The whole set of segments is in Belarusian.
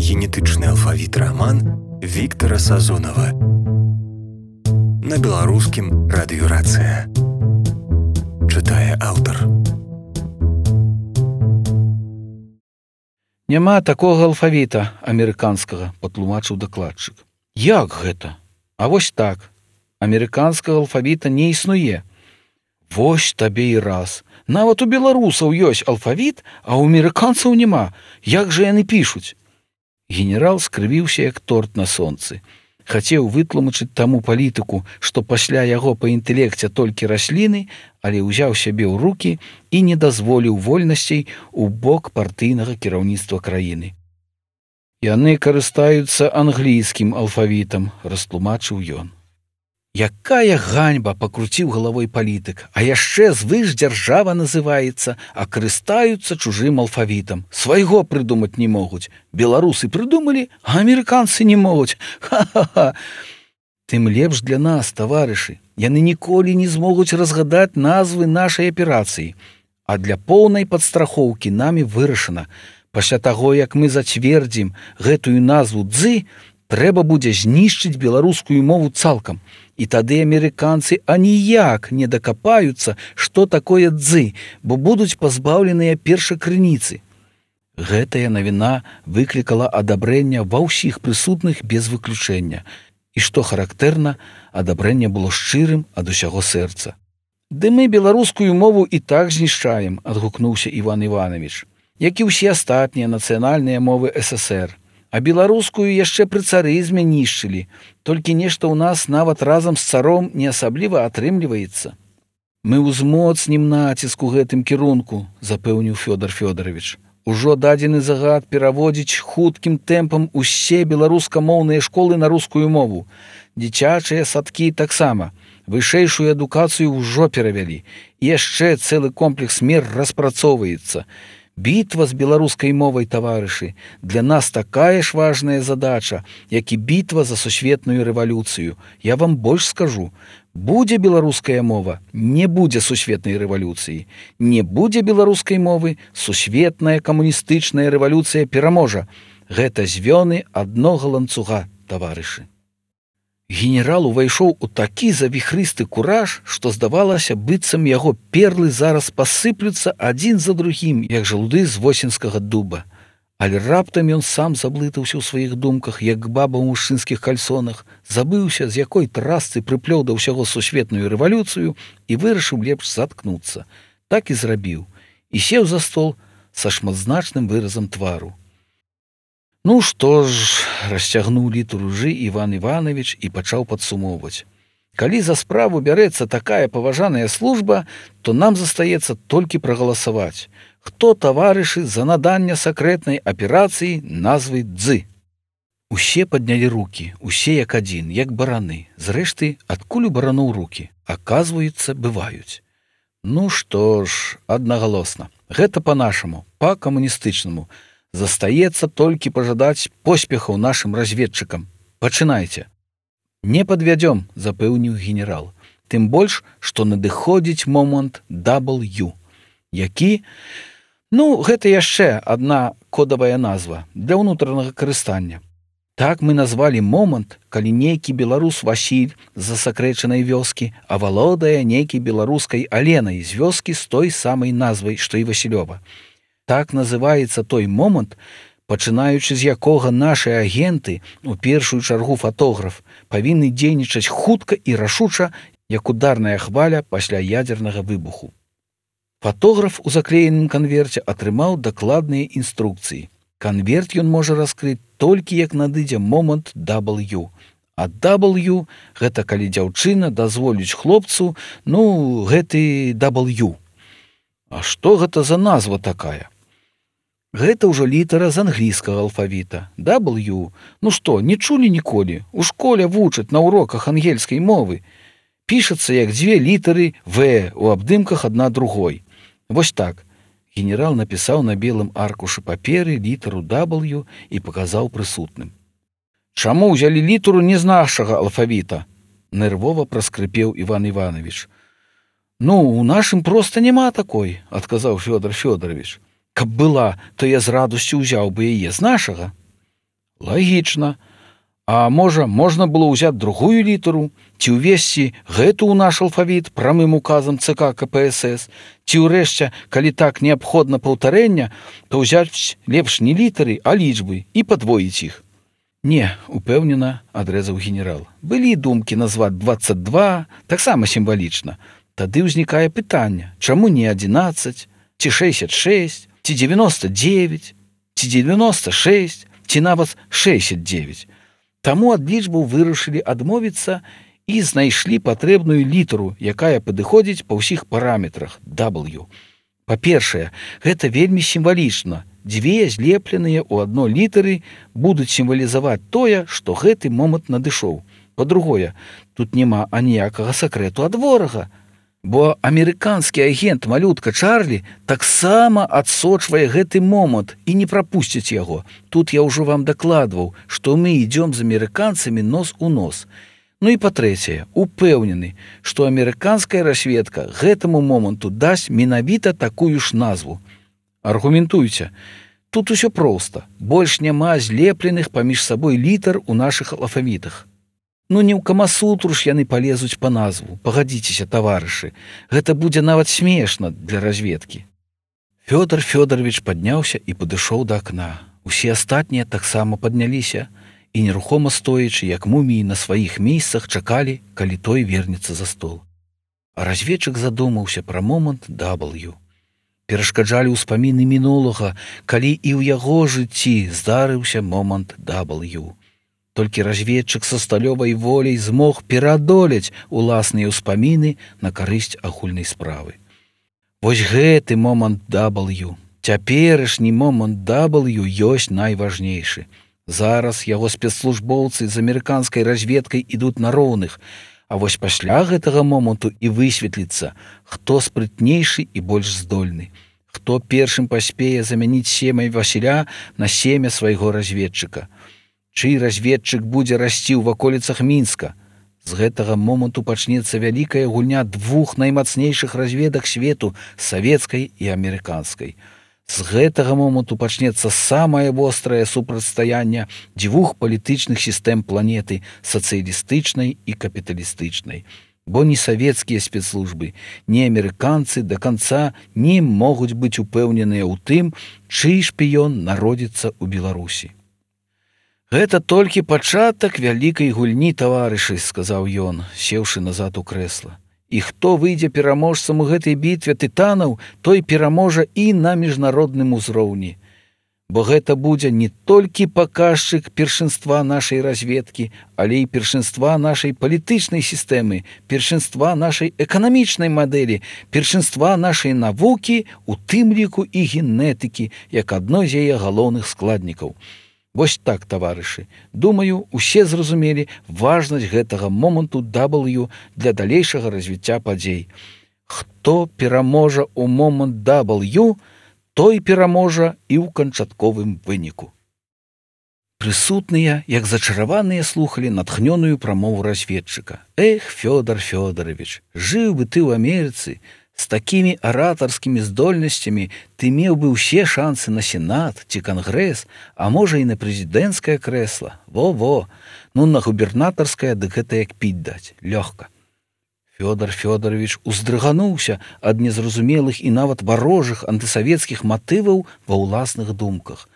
генетычны алфавіт раман Віктара Сазонава. На беларускім радыёрацыя. Чытае аўтар. Няма такога алфавіта амерыканскага, патлумачыў дакладчык. Як гэта? А вось так. Амерыканскага алфавіта не існуе. Вось табе і раз. Нават у беларусаў ёсць алфавіт, а ў амерыканцаў няма. Як жа яны пішуць? Генерал скрывіўся, як торт на сонцы. Хацеў вытлумачыць таму палітыку, што пасля яго па інтэлекце толькі расліны, але ўзяў сябе ў рукі і не дазволіў вольнасцей у бок партыйнага кіраўніцтва краіны. Яны карыстаюцца англійскім алфавітам, растлумачыў ён. Якая ганьба, пакруціў галавой палітык, а яшчэ звышдзяржава называецца, а карыстаюцца чужым алфавітам. Свайго прыдумаць не могуць. Беларусы прыдумалі, а амерыканцы не могуць. Ха-ха-ха! Тым лепш для нас, таварышы. Яны ніколі не змогуць разгадаць назвы нашай аперацыі. А для поўнай падстрахоўкі намі вырашана. Пасля таго, як мы зацвердзім гэтую назву «дзы», трэба будзе знішчыць беларускую мову цалкам. І тады амерыканцы аніяк не дакапаюцца, што такое «дзы», бо будуць пазбаўленыя першакрыніцы. Гэтая навіна выклікала адабрэнне ва ўсіх прысутных без выключэння. І што характэрна, адабрэнне было шчырым ад усяго сэрца. «Ды мы беларускую мову і так знішчаем», – адгукнуўся Іван Іванович, як і ўсе астатнія нацыянальныя мовы ССР. А беларускую яшчэ пры царызме нішчылі, толькі нешта ў нас нават разам з царом не асабліва атрымліваецца. Мы ўзмоцнім націск у гэтым кірунку, запэўніў Фёдор Фёдорович. Ужо дадзены загад пераводзіць хуткім тэмпам усе беларускамоўныя школы на рускую мову. Дзіцячыя садкі таксама. Вышэйшую адукацыю ўжо перавялі. І яшчэ цэлы комплекс мер распрацоўваецца. Бітва з беларускай мовай, таварышы, для нас такая ж важная задача, як і бітва за сусветную рэвалюцыю. Я вам больш скажу. Будзе беларуская мова, не будзе сусветнай рэвалюцыі. Не будзе беларускай мовы, сусветная камуністычная рэвалюцыя пераможа. Гэта звёны аднога ланцуга, таварышы. Генерал увайшоў у такі завіхрысты кураж, што здавалася, быццам яго перлы зараз пасыплюцца адзін за другім, як жалуды з восеньскага дуба. Але раптам ён сам заблытаўся ў сваіх думках, як баба ў мужчынскіх кальсонах, забыўся, з якой трасцы прыплёў да ўсяго сусветную рэвалюцыю і вырашыў лепш заткнуцца. Так і зрабіў. І сеў за стол са шматзначным выразам твару. Ну што ж, расцягнуў літару «жы» Іван Іванович і пачаў падсумоўваць. Калі за справу бярэцца такая паважаная служба, то нам застаецца толькі прагаласаваць. Хто, таварышы, за наданне сакрэтнай аперацыі назвы «дзы»? Усе паднялі рукі, усе як адзін, як бараны. Зрэшты, адкуль у бараноў рукі? Аказваецца, бываюць. Ну што ж, аднагалосна. Гэта па-нашаму, па-камуністычнаму. Застаецца толькі пажадаць поспехаў нашым разведчыкам. Пачынайце. Не падвядзём, запэўніў генерал. Тым больш, што надыходзіць момант W. Які? Ну, гэта яшчэ адна кодавая назва для ўнутранага карыстання. Так мы назвалі момант, калі нейкі беларус Васіль з засакрэчанай вёскі авалодае нейкай беларускай Аленай з вёскі з той самай назвай, што і Васілёва. Так называецца той момант, пачынаючы з якога нашыя агенты, у першую чаргу фатограф, павінны дзейнічаць хутка і рашуча, як ударная хваля пасля ядзернага выбуху. Фатограф у заклееным канверце атрымаў дакладныя інструкцыі. Канверт ён можа раскрыць толькі як надыдзе момант W. А W – гэта калі дзяўчына дазволіць хлопцу, гэты W. А што гэта за назва такая? Гэта ўжо літара з англійскага алфавіта. W. Ну што, не чулі ніколі? У школе вучаць на уроках ангельскай мовы. Пішацца як дзве літары В у абдымках адна другой. Вось так. Генерал напісаў на белым аркушы паперы літару W і паказаў прысутным. Чаму ўзялі літару не з нашага алфавіта? Нервова праскрыпеў Іван Іванович. Ну, у нашым проста няма такой, адказаў Фёдор Фёдорович. Каб была, то я з радасцю ўзяў бы яе з нашага. Лагічна. А можа, можна было ўзяць другую літару, ці ўвесці гэту ў наш алфавіт прамым указам ЦК КПСС, ці ўрэшце, калі так неабходна паўтарэння, то ўзяць лепш не літары, а лічбы і падвоіць іх. Не, упэўнена, адрэзаў генерал. Былі думкі назваць 22, таксама сімвалічна. Тады ўзнікае пытанне, чаму не 11, ці 66, ці 99, ці 96, ці нават 69. Таму ад лічбаў вырашылі адмовіцца і знайшлі патрэбную літару, якая падыходзіць па ўсіх параметрах W. Па-першае, гэта вельмі сімвалічна. Дзве злепленыя ў адно літары будуць сімвалізаваць тое, што гэты момант надышоў. Па-другое, тут няма аніякага сакрэту ад ворага, бо амерыканскі агент малютка Чарлі таксама адсочвае гэты момант і не прапусціць яго. Тут я ўжо вам дакладваў, што мы ідзём з амерыканцамі нос у нос. Ну і па-трэцяе, упэўнены, што амерыканская разведка гэтаму моманту дасць менавіта такую ж назву. Аргументуйце. Тут усё проста. Больш няма злепленых паміж сабой літар у нашых алфавітах. Ну не ў камасутру ж яны палезуць па назву. Пагадзіцеся, таварышы, гэта будзе нават смешна для разведкі. Фёдор Фёдорович падняўся і падышоў да акна. Усе астатнія таксама падняліся і нерухома стоячы, як муміі на сваіх месцах, чакалі, калі той вернецца за стол. А разведчык задумаўся пра момант W. Перашкаджалі ўспаміны мінулага, калі і ў яго жыцці здарыўся момант W. Толькі разведчык са сталёвай воляй змог пераадолець уласныя ўспаміны на карысць агульнай справы. Вось гэты момант W, цяперашні момант W ёсць найважнейшы. Зараз яго спецслужбоўцы з амерыканскай разведкай ідуць на роўных, а вось пасля гэтага моманту і высветліцца, хто спрытнейшы і больш здольны, хто першым паспее замяніць семя Васіля на семя свайго разведчыка. Чый разведчык будзе расці ў ваколіцах Мінска. З гэтага моманту пачнецца вялікая гульня двух наймацнейшых разведак свету, савецкай і амерыканскай. З гэтага моманту пачнецца самае вострае супрацьстаянне дзвюх палітычных сістэм планеты, сацыялістычнай і капіталістычнай. Бо ні савецкія спецслужбы, ні амерыканцы да канца не могуць быць упэўненыя ў тым, чый шпіён народзіцца ў Беларусі. Гэта толькі пачатак вялікай гульні, таварышы, сказаў ён, сеўшы назад у крэсла. І хто выйдзе пераможцам у гэтай бітве тытанаў, той пераможа і на міжнародным узроўні. Бо гэта будзе не толькі паказчык першынства нашай разведкі, але і першынства нашай палітычнай сістэмы, першынства нашай эканамічнай мадэлі, першынства нашай навукі, у тым ліку і генетыкі, як адной з яе галоўных складнікаў. Вось так, таварышы, думаю, усе зразумелі важнасць гэтага моманту W для далейшага развіцця падзей. Хто пераможа ў момант W, той пераможа і ў канчатковым выніку. Прысутныя, як зачараваныя, слухалі натхнёную прамову разведчыка. Эх, Фёдор Фёдорович, жыў бы ты ў Амерыцы, з такімі аратарскімі здольнасцямі ты меў бы ўсе шансы на сенат ці кангрэс, а можа і на прэзідэнцкае крэсла. Во-во, ну на губернатарскае дык гэта як піць даць, лёгка. Фёдор Фёдорович уздрыгануўся ад незразумелых і нават варожых антысавецкіх матываў ва ўласных думках.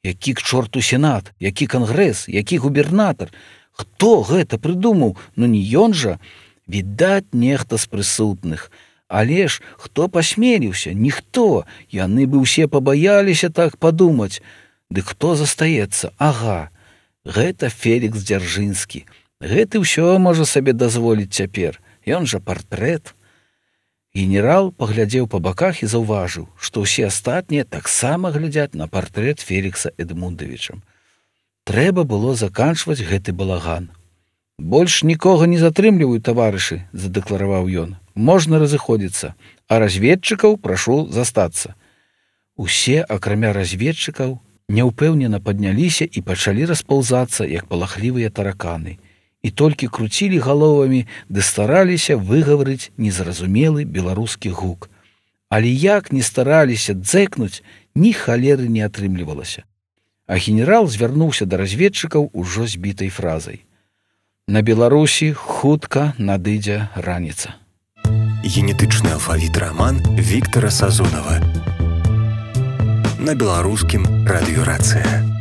Які к чорту сенат, які кангрэс, які губернатар? Хто гэта прыдумаў? Ну не ён жа? Відаць, нехта з прысутных. Але ж хто пасмеліўся? Ніхто. Яны бы ўсе пабаяліся так падумаць. Дык хто застаецца? Ага, гэта Фелікс Дзяржынскі. Гэты ўсё можа сабе дазволіць цяпер. Ён жа партрэт. Генерал паглядзеў па баках і заўважыў, што ўсе астатнія таксама глядзяць на партрэт Фелікса Эдмундавіча. Трэба было заканчваць гэты балаган. Больш нікога не затрымліваю, таварышы, задэклараваў ён. Можна разыходзіцца, а разведчыкаў прашу застацца. Усе, акрамя разведчыкаў, няўпэўнена падняліся і пачалі распаўзацца, як палахлівыя тараканы. І толькі круцілі галовамі ды стараліся выгаварыць незразумелы беларускі гук. Але як не стараліся дзэкнуць, ні халеры не атрымлівалася. А генерал звярнуўся да разведчыкаў ужо збітай фразай: «На Беларусі хутка надыдзе раніца». Генетычны алфавіт раман Віктара Сазонава. На беларускім радыёрацыя.